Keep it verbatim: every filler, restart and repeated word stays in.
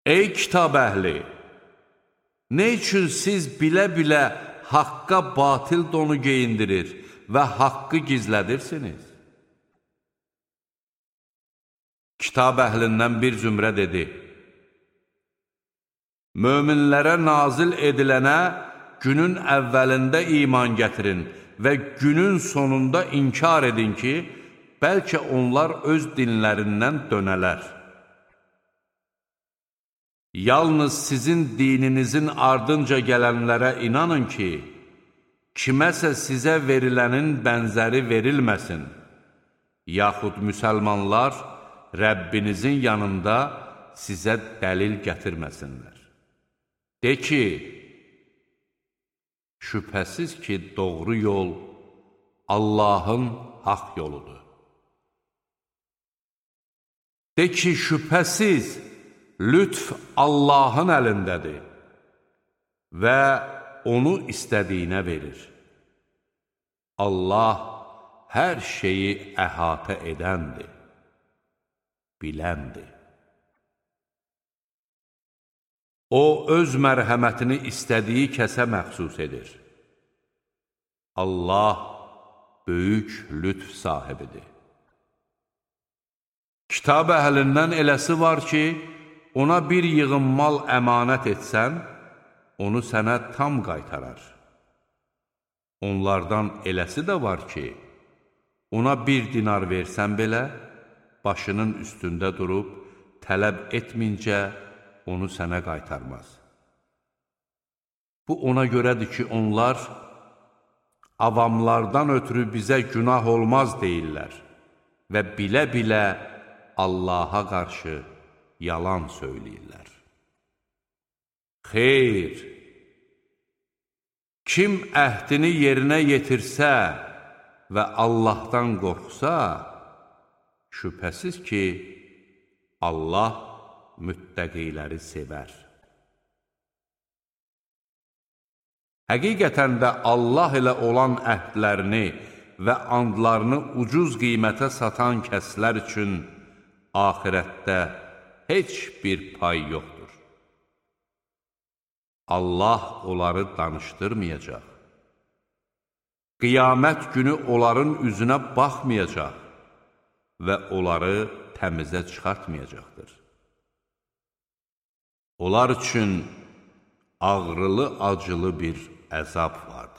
Ey kitab əhli! Nə üçün siz bilə-bilə haqqa batil donu geyindirir və haqqı gizlədirsiniz? Kitab əhlindən bir zümrə dedi: Möminlərə nazil edilənə günün əvvəlində iman gətirin və günün sonunda inkar edin ki, bəlkə onlar öz dinlərindən dönələr. Yalnız sizin dininizin ardınca gələnlərə inanın ki, kiməsə sizə verilənin bənzəri verilməsin, yaxud müsəlmanlar Rəbbinizin yanında sizə dəlil gətirməsinlər. De ki, şübhəsiz ki, doğru yol Allahın haqq yoludur. De ki, şübhəsiz lütf Allahın əlindədir və onu istədiyinə verir. Allah hər şeyi əhatə edəndir, biləndir. O, öz mərhəmətini istədiyi kəsə məxsus edir. Allah böyük lütf sahibidir. Kitab əhlindən eləsi var ki, ona bir yığın mal əmanət etsən, onu sənə tam qaytarar. Onlardan eləsi də var ki, ona bir dinar versən belə, başının üstündə durub, tələb etmincə, onu sənə qaytarmaz. Bu ona görədir ki, onlar avamlardan ötürü bizə günah olmaz deyirlər və bilə-bilə Allaha qarşı yalan söyləyirlər. Xeyr! Kim əhdini yerinə yetirsə və Allahdan qorxsa, şübhəsiz ki, Allah müttəqiləri sevər. Həqiqətən də Allah ilə olan əhdlərini və andlarını ucuz qiymətə satan kəslər üçün axirətdə heç bir pay yoxdur. Allah onları danışdırmayacaq. Qiyamət günü onların üzünə baxmayacaq və onları təmizə çıxartmayacaqdır. Onlar üçün ağrılı-acılı bir əzab vardır.